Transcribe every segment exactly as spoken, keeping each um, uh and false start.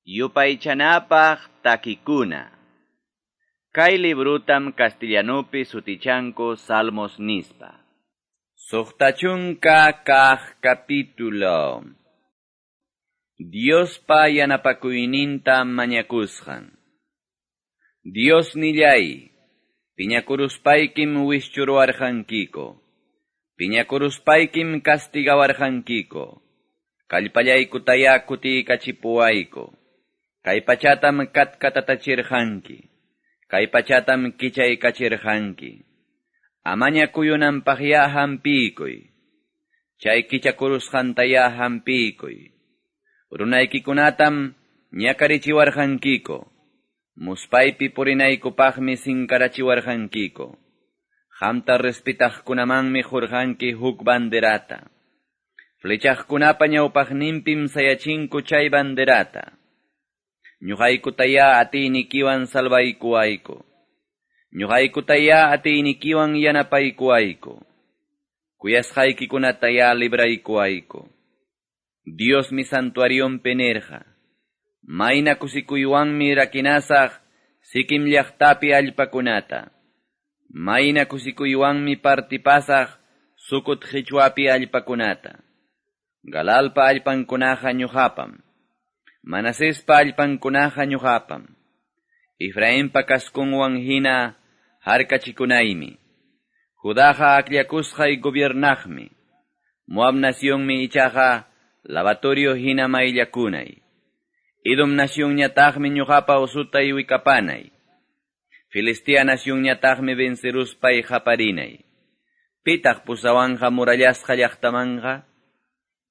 Yupaychanapaq takikuna. Kay librutam castellanupi sutichanku Salmos nispa. Suqta chunka kaq capítulo. Diospa yanapakuyninta mañakusqan. Dios nillay, piñakuruspaykim wischuruwarqankiko. Piñakuruspaykim castigawarqankiko. Kallpallaykutaya kutiykachipuwayku. Kay pachatam katkatatachirqanki. Kay pachatam kichaykachirqanki. Amaña kuyunanpaqya hampiykuy. Chay kichakurusqantaya hampiykuy. Runaykikunatam ñakarichiwarqankiko. Muspaypi purinaykupaqmi sinkarachiwarqankiko. Qamta respetaqkunamanmi qurqanki huk banderata. Flechaqkunapa ñawpaqninpim sayachinku chay banderata. Ñuqaykutaya atiynikiwan salvaykuwayku. Ñuqaykutaya atiynikiwan yanapaykuwayku. Kuyasqaykikunataya libraykuwayku. Diosmi santuarionpi nirqa. Mayna kusikuywanmi rakinasaq Siquem llaqtapi allpakunata. Mayna kusikuywanmi partipasaq Sucot qichwapi allpakunata. Galalpa allpankunaqa ñuqapam. Manasespa allpankunaqa ñuqapam. Efraimpa kaskunwan hina harkachikunaymi. Judaqa akllakusqay gobiernaqmi. Moab nacionmi ichaqa lavatorio hina mayllakunay. Edom nacionñataqmi ñuqapa usutay wikapanay. Filistea nacionñataqmi venceruspay qaparinay. Pitaq pusawanqa murallasqa llaqtamanqa?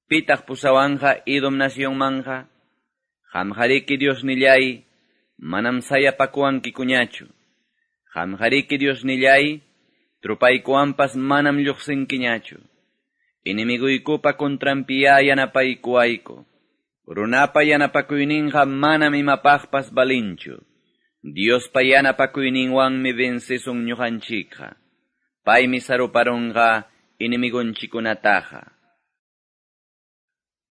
Pitaq pusawanqa Edom nacionmanqa? Qamqariki Diosnillay, manam sayapakuwankikuñachu. Qamqariki Diosnillay, trupaykuwanpas manam lluqsinkiñachu. Enemiguykupa contranpiya yanapaykuwayku. Runapa yanapakuyninqa manam imapaqpas balinchu. Diospa yanapakuyninwanmi vencesun ñuqanchikqa. Paymi saruparunqa enemigunchikunataqa.